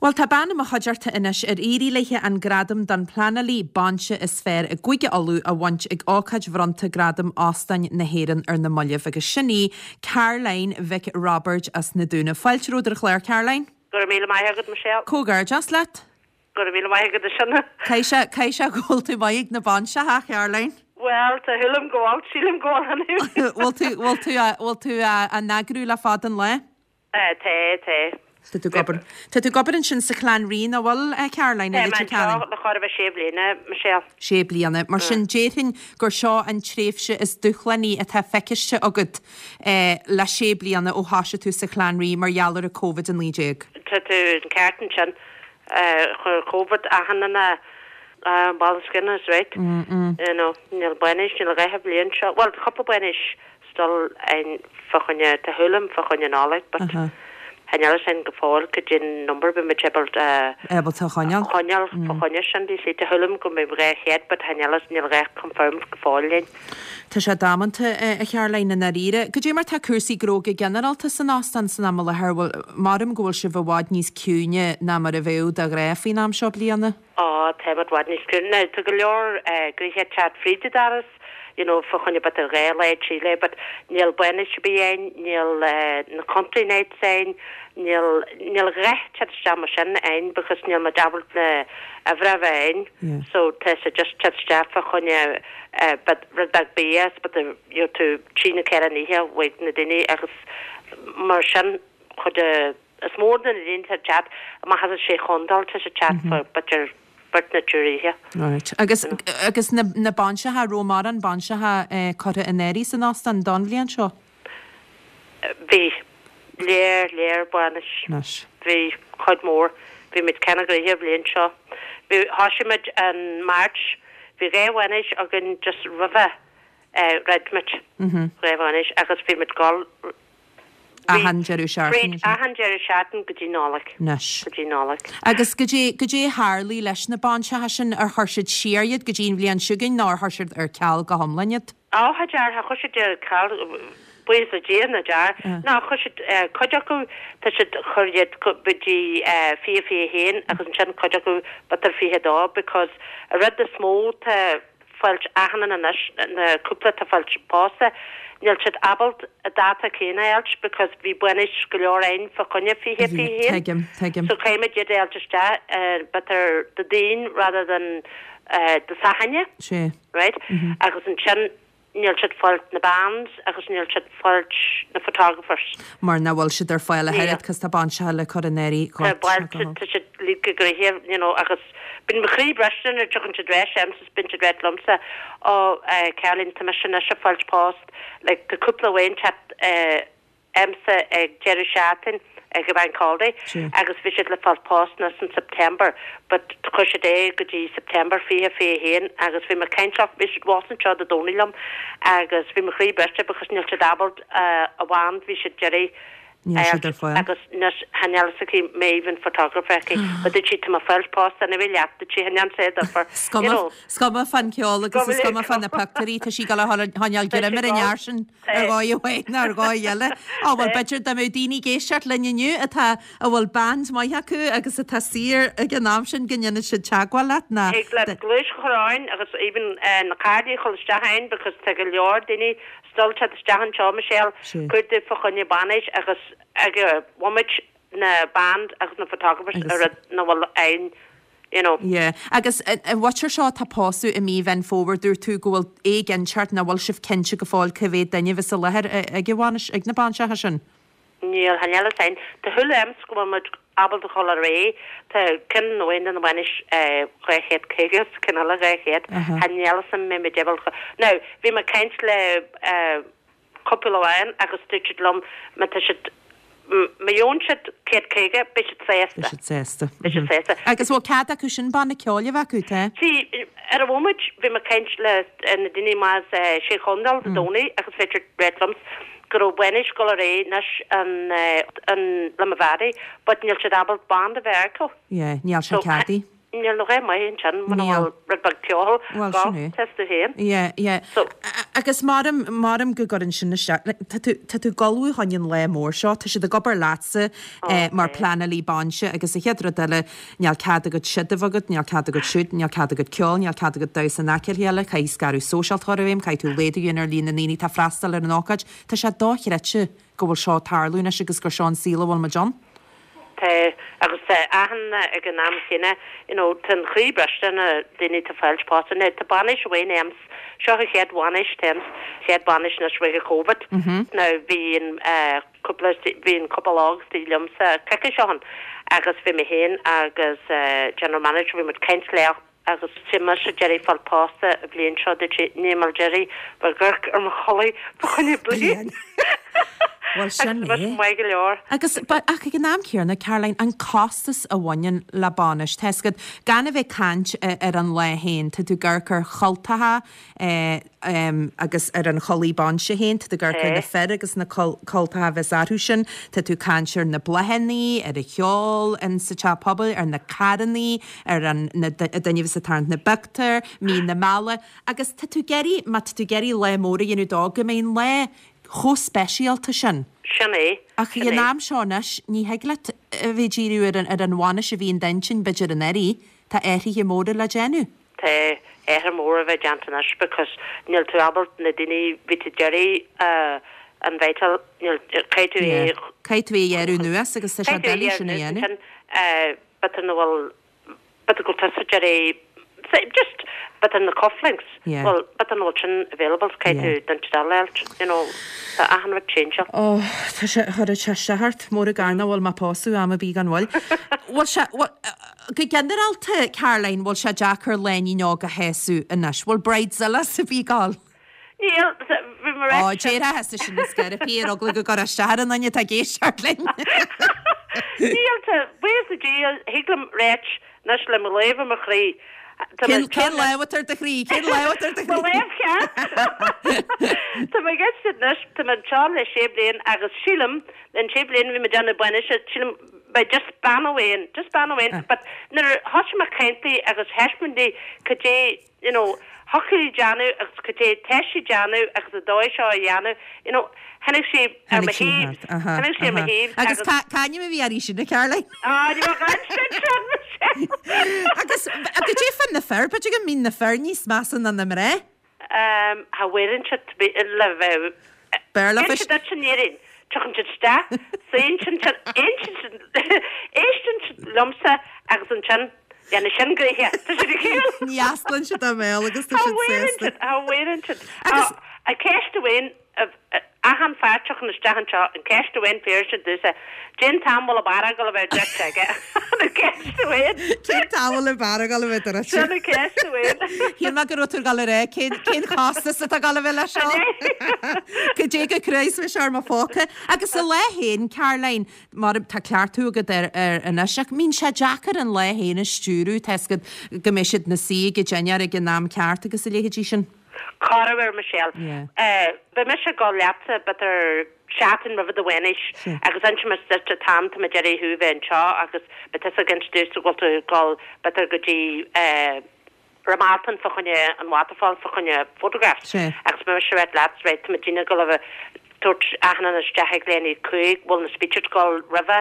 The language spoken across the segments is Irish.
Bhuel, tá bean i mo chuideachta anois ar éirigh léi an gradam don phleanálaí bainse is fearr i gCúige Uladh a bhaint ag ócáid bhronnta Gradaim Óstáin na hÉireann ar na mallaibh agus sin í Caroline Mhic Roibeaird as na Dúnaibh. Fáilte romhat ar an chlár, Caroline. Go raibh míle maith agat, Michelle. Comhghairdeas leat. Go raibh míle maith agat, a Shona. Caithfidh sé, caithfidh sé go bhfuil tú maith ag na bainseacha, a Charoline. Bhuel, tá shúil a'm go bhfuil, sílim go bhfuil anyway. Bhfuil tú, bhfuil tú, bhfuil tú á n-eagrú le fada an lá? Tá, tá. Tá tú ag obair, tá tú ag obair ansin sa Chlann Rí, nach bhfuil, a Caroline, i Tá mé Leitir Ceanainn? anseo le chóir a bheith sé bliana, Michelle. Sé bliana. Mar sin, déarfainn gur seo an tréimhse is dúshlánaí atá feiciste agat le sé bliana ó thoisigh tú sa Chlann Rí mar gheall ar an Covid-19. Tá tú an ceart ansin. Chuir Covid achan duine ball skin is right. You know, níl bainis, níl a dhath an bhliain seo. Bhuel, tá cúpla bainis still ann fá choinne, tá shúil a'm fá choinne Nollaig but chan fhios a'inn go fóill goidé number beidh muid ábalta Ábalta a choinneáil. choinneáil fá choinne sin. Do you see, tá shúil a'm go mbeidh 200 but chan fhios, níl a dhath confirmed go fóill linn. Tá sé damanta, a Charoline, i ndáiríre. Goidé mar tá cúrsaí gnó go ginearálta san óstán san am i láthair? Bhuel, maram go bhfuil sibh i bhfad níos ciúine ná mar a bheadh de ghnáth faoin am seo bliana? Á, táimid i bhfad níos ciúine. Now, tá go leor gnoithe ag teacht fríd an doras, you know, fá choinne b'fhéidir dhá lá, trí lá, but níl bainis ar bith ann, níl na country nights ann, níl, níl a dhath ag teacht isteach mar sin ann because níl muid ábalta na uimhreacha a bheith ann. So tá sé just teacht isteach fá choinne but rud beag bia is but you know tú trí nó ceithre oíche uaidh na daoine agus mar sin chuid is mó de na daoine atá ag teacht amach as an sé chontae tá siad ag teacht for b'fhéidir beirt nó triúr oíche. Right. Agus agus na na bainseacha, raibh mórán bainseacha curtha in áirithe san óstán don bhliain seo? Bhí. Léar, léar bainis. Anois. Bhí cuid mhór. Bhí muid cineál gnoitheach an bhliain seo. Bhí, thoisigh muid in March. Bhí dhá bhainis againn just roimhe dhruid muid. Dhá bhainis agus bhí muid gul Achan deireadh seachtaine. Fríd achan deireadh seachtaine go dtí Nollaig. Anois. Go dtí Nollaig. Agus goidé, goidé a tharlaigh leis na bainseacha sin? Ar chuir siad siar iad go dtí an bhliain seo chugainn nó ar chuir siad ar ceal go hiomlán iad? Á, cha dear, cha chuir siad ar ceal, buíochas le Dia, ná dear. Ná, chuir siad, cuid acu, tá siad, chuir iad go dtí 20, 21 agus ansin cuid acu b'fhéidir 22 because an rud is mó tá fáilt achan duine anois, na cúpla atá fáilt pósta, níl siad ábalta an dáta céanna a fháilt because bhí bainis go leor ann fá choinne 20, 21. Tuigim, tuigim. So caithfimid iad a fháilt isteach b'fhéidir Dé Daoin rather than Dé Sathairn. Sea. right? Agus ansin níl siad fáilt na bands agus níl siad fáilt na photographers. Mar nach bhfuil siad ar fáil ach oiread cos tá bainseacha le cur in áirithe Tá baint, tá siad uilig go gnoitheach, you know, agus bíonn mo chroí briste nuair a tiocfainn siad ar ais a'msa is bíonn siad ag ráit liomsa, oh Caroline tá mise anois ag fáilt post, like tá cúpla amháin teacht eh, a'msa ag deireadh seachtain ag an Bank Holiday agus bhí siad le fáil post anois in September but chuir siad é go dtí September 20, 21 agus bhí mé ag caint leo, bhí siad abhus anseo Dé Domhnaigh liom agus bhí mo chroí briste because níl siad ábalta an band bhí siad d'iarraidh Níl siad ar fáil. agus anois chan fheil fhios aici Maeve an photographer aici but dúirt sí tá mé ag fáilt post anyway leat dúirt sí chan dhearn sé difear you know. Is cuma fán cheol agus is cuma fá na pictiúirí tá sí ag dul a choinneáil greim ar an fhear sin. Ar dhóigh amháin nó ar dhóigh eile. Á bhuel b'fhéidir dá mbeadh daoine ag éisteacht linn inniu atá, a bhfuil band maith acu agus atá saor ag an am sin go ndéanfaidh siad teagmháil leat ná. Thig leat gluais a chur orainn agus even na cártaí a chur isteach a'inn because tá go leor daoine still teacht isteach anseo Michelle, cuartú fá choinne bainis agus ag an bhomaite na band agus na photographers a rud nach bhfuil a'inn you know. Yeah. Agus an mhuintir seo atá ag pósadh i mí Mheán Fómhair, dúirt tú go bhfuil éiginnteacht, nach bhfuil sibh cinnte go fóill cá mhéad duine a bheas i láthair ag an bhainis, ag na bainseacha sin? Níl, chan fheil fhios a'inn. Tá shúil a'msa go bhfuil muid ábalta dhul ar aghaidh. Tá ceann amháin de na bainis 250 is ceann eile 200. Chan fheil fhios a'm mbeidh muid ábalta. Now, bhí mé ag caint le cúpla amháin agus dúirt siad liom má tá siad, má gheobhann siad 150, beidh siad sásta. Beidh siad sásta. Beidh siad sásta. Agus bhfuil cead acu sin banna ceoil a bheith acu, tá? See, ar an bhomaite, bhí mé ag caint le na daoine amach as Sé Chontae Dé Domhnaigh agus bhí siad ag ráit liom go raibh bainis ag dul ar aghaidh anois an, an, Limavady but níl siad ábalta band a bheith acu. Yeah, níl sé ceadaithe. Níl a dhath maith ansin muna bhfuil rud beag ceoil Bhuel, sin é. Tusa féin. Yeah, yeah. So. Agus maram, maram go gcuireann sin isteach, like, tá tú, tá tú ag ullmhú chun an lá mór seo, tá siad ag obair leatsa eh, mar pleanálaí bainse agus an chéad rud eile, níl cead agat siod a bheith agat, níl cead agat siúd, níl cead agat ceol, níl cead agat damhsa in aice le chéile, caithfidh scaradh sóisialta a chur i bhfeidhm, caithfidh tú laghdú a dhéanamh ar líon na ndaoine atá ag freastal ar an ócáid. Tá sé dochreidte go bhfuil seo ag tarlú anois agus gur seo an saol a bhfuil muid ann. Tá, agus tá achan, ag an am chéanna, you know, tá an chroí briste ar na daoine atá fáilt pósta. Now, tá bainis amháin a'm, seo an chéad bhainis atá a'm, chéad bainis anois roimhe Covid. Now, bhí an eh cúpla, bhí an cúpla óg istigh liomsa coicís ó shin agus bhí mé féin agus eh general manager, bhí muid caint leo Agus tá mise ag iarraidh fáil pósta an bhliain seo dúirt sí, níl mé ag iarraidh bheith ag amharc ar mo chulaith fá choinne bliain. Bhuel sin Agus é. maith go leor. Agus ach ag an am céanna, Caroline, an costas a bhaineann le bainis, tá 'fhios agat, gan a bheith ag caint ar an lá féin, tá tú ag amharc ar chultacha, agus ar an chulaith bainse féin, tá tú ag amharc ar na fir agus na cultacha a bheas orthu sin, tá tú ag caint ar na bláthannaí, ar an cheol in sa teach pobail, ar na carrannaí, ar an na duine a bheas ag tarraingt na bpictiúr, mí na meala, agus tá tú ag iarraidh, má tá tú ag iarraidh lá mór a dhéanamh dó, go mbeidh an lá chomh speisialta sin. Sin é. Ach ag an am seo anois, ní thig leat a bheith ag díriú ar an ar an bhainis a bhí in d'intinn b'fhéidir anuraidh, tá athruithe móra le déanamh. Tá athruithe móra a bheith déanta anois because níl tú ábalta na daoine bhí tú d'iarraidh a inviteáil níl caithfidh tú é Yeah. Caithfidh tú é a ghearradh anuas agus tá sé caithfidh tú é a doiligh sin ghearradh a anuas dhéanamh. ansin b'fhéidir nach bhfuil b'fhéidir go bhfuil tusa d'iarraidh just b'fhéidir na cufflinks Yeah. bhuel b'fhéidir nach bhfuil sin available so caithfidh Yeah. tú duine eile a fháilt you know tá achan rud changeáil. Oh tá sé chuirfeadh sé isteach ort mór i gcarn nach bhfuil mé ag pósadh am ar bith gan mhoill. Bhfuil sé bhfuil Go ginearálta, Caroline, bhfuil sé deacair lánúin óg a shásamh anois? Bhfuil bridezillas ar bith ag gabháil? Níl, bhí mé Ó, déarfá thusa sin ar scor ar bith ar eagla go gcuirfeá isteach ar an duine atá ag éisteacht linn. Níl, tá, buíochas le Dia, thig liom ráit anois le mo lámh ar mo chroí. Tá mé Cén lámh atá ar do chroí? Cén lámh atá ar do Mo chroí? lámh cheart! Tá mé ag éisteacht anois, tá mé anseo le sé bliain agus sílim, an sé bliain a bhí mé ag déanamh bainise, sílim, beidh just bean amháin, just bean amháin, but nuair a thosaigh mé ag caint di agus thaispeáin di cad é, you know, thiocfadh léi déanamh agus cad é tá sí ag déanamh agus an dóigh seo a dhéanamh, you know, tháinig sí ar mo Tháinig sí thaobh, thart, aha, tháinig sí ar mo aha. thaobh Agus agus. cá, cá ainm a bhí uirthi sin, a Caroline? Ah, ní bheadh aon sin sin, Michelle! Agus, cad é fá na fir, b'fhéidir go mbíonn na fir níos measa ná na mná? Cha bhféadann siad le bheith. Béarla Déanann siad duit an fhírinne. Tiocfaidh siad isteach, suíonn siad ansin, éisteann siad liomsa agus ansin dhéanfaidh sin gnoithe. Tá siad ag shiúl. Ní osclaíonn siad a mbéal agus tá Cha siad bhféadann sásta. siad, cha bhféadann siad. Agus. An ceist amháin Achan fear tiocfaidh isteach anseo, an ceist amháin fiafraíonn siad domhsa, cén t-am bhfuil an beár ag dul a bheith druidte aige? An ceist amháin. Cén t-am bhfuil an beár ag dul a bheith druidte? Sin an ceist amháin. Shíl mé go raibh tú ag dul a rá cén cén chostas atá ag dul a bheith leis seo? Cad é chomh crua is a bheidh sé ar mo phóca? Agus an lá féin, Caroline, mar tá cleachtadh agat air air anois, ach mbíonn sé deacair an lá féin a stiúradh, tá 'fhios agat go mbeidh siad ina suí ag an dinnéar ag an am ceart agus a leithéidí sin. Corruair, Michelle. Beidh mise ag dul leatsa b'fhéidir seachtain roimhe do bhainis agus inseoidh mise duit an t-am tá mé ag iarraidh thú bheith anseo agus beidh tusa ag inse domhsa go bhfuil tú ag dul b'fhéidir go dtí Ramelton fá choinne an waterfall fá choinne photographs agus beidh mise ag ráit leat right tá muidinne ag dul a bheith tabhairt achan duine isteach ag leath i ndiaidh 5 bhfuil na speeches ag dul roimhe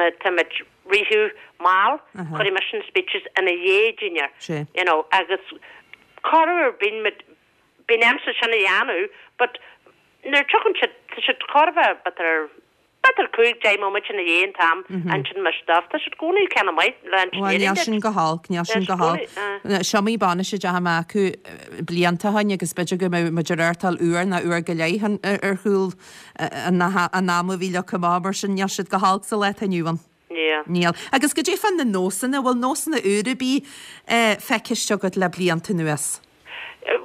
má tá muid ritheadh mall cuirfidh mise na speeches ina dhiaidh dinnéar you know agus Corruair bíonn muid, bíonn ormsa sin a dhéanamh but nuair a tiocfaidh siad, tá siad chóir a bheith b'fhéidir, b'fhéidir 5, 10 móiméid ina dhiaidh an t-am ansin mise dóibh, tá siad i gcónaí cineál maith le Bhuel níl engineering sin go holc, níl sin go holc. Is iomaí bainis a dteachaigh mé acu blianta ó shoin agus b'fhéidir go mbeadh muid ag reáchtáil uair nó uair go leith ar chúl an ama a bhí leagtha amach mar sin níl siad go holc sa lá atá inniu ann. Níl. Níl. Agus goidé fá na nósanna, bhfuil nósanna úra ar bith feiciste agat le blianta anuas?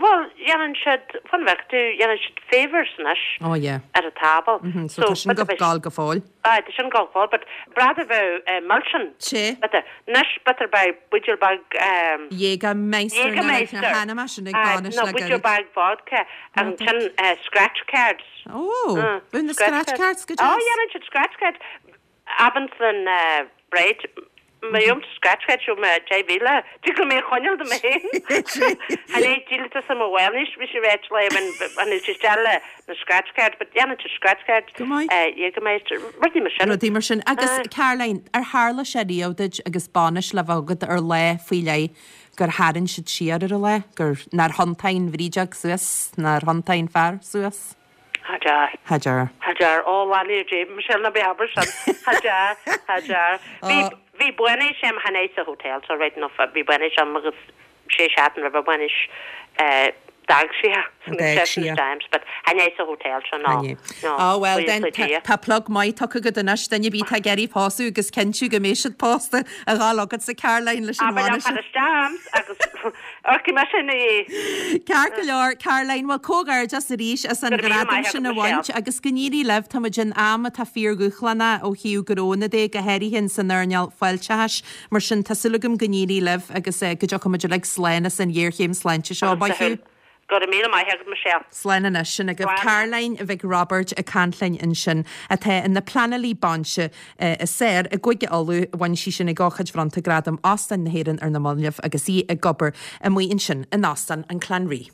Bhuel, dhéanann siad, fan bheag tú, dhéanann siad favours anois Oh yeah. ar an tábla. Mhm, so tá sin go gabháil go fóill. Aye, tá sin go fóill, but brad a bheadh milseáin. Sea. B'fhéidir. Anois, b'fhéidir beidh buidéal beag. Jägermeister. Jägermeister. Chonaic mé sin ag bainis Nó le buidéal gairid. beag vodka agus ansin scratch cards. Oh, bíonn na scratch cards go Oh, deas. dhéanann siad scratch cards. Abair leis an bride. Má gheobhaimse scratch card seo mé 10,000, tig liom é a choinneáil do mé féin. Chan é díoltas i mo bhainis, bhí sé ráite léi when when it's isteach le na scratch card, but dhéanann tú scratch card Go maith. Jägermeister, rudaí mar sin. Rudaí mar sin. Agus Caroline, ar tharla sé riamh duit agus bainis le bheith agat ar lá faoi leith gur tharraing siad siar ar an lá, gur, nár thiontaigh an bhrídeog suas, nár thiontaigh an fear suas? Cha dear. Cha dear. Cha dear. Ó, leanaí ar dé, Michelle, ná bí ag abair sin. Cha dear. Cha dear. Bhí, bhí bainis a'm chan é sa hotel so right enough, bhí bainis a'm agus sé seachtain roimh an bhainis, eh, d'fhág sí é. D'fhág sí é. Times, but chan é sa hotel seo, no. Chan é. No. Ó, bhuel, Buíochas then, le tá, Dia. tá plug maith tugtha agat anois, duine ar bith atá ag iarraidh pósadh agus cinntiú go mbeidh siad pósta a ghabháil chugatsa Caroline leis an Abair liom bhainis. fad isteach a'm agus amharcfaidh mise ina dhiaidh. Ceart go leor, Caroline, bhuel comhghairdeas arís as an Go raibh míle ghradam maith sin agat, a bhaint Michelle. agus go n-éirí libh, tá muid in am atá fíordhúshlánach ó thaobh gnónna de, go háirithe in san earnáil fáilteachais. Mar sin, tá súil agam go n-éirí libh agus go dtiocfaidh muid uilig slán as an ghéarchéim sláinte seo. Maith thú. Go raibh míle maith agat, Michelle. Slán anois. Sin agaibh Slán. Caroline Mhic Roibeaird ag caint linn ansin, atá ina pleanálaí bainise i Sár i gCúige Uladh. Bhain sí sin ag ócáid bhronnta Gradam Óstáin na hÉireann ar na mallaibh agus í ag obair amuigh ansin in Óstán an Clanree.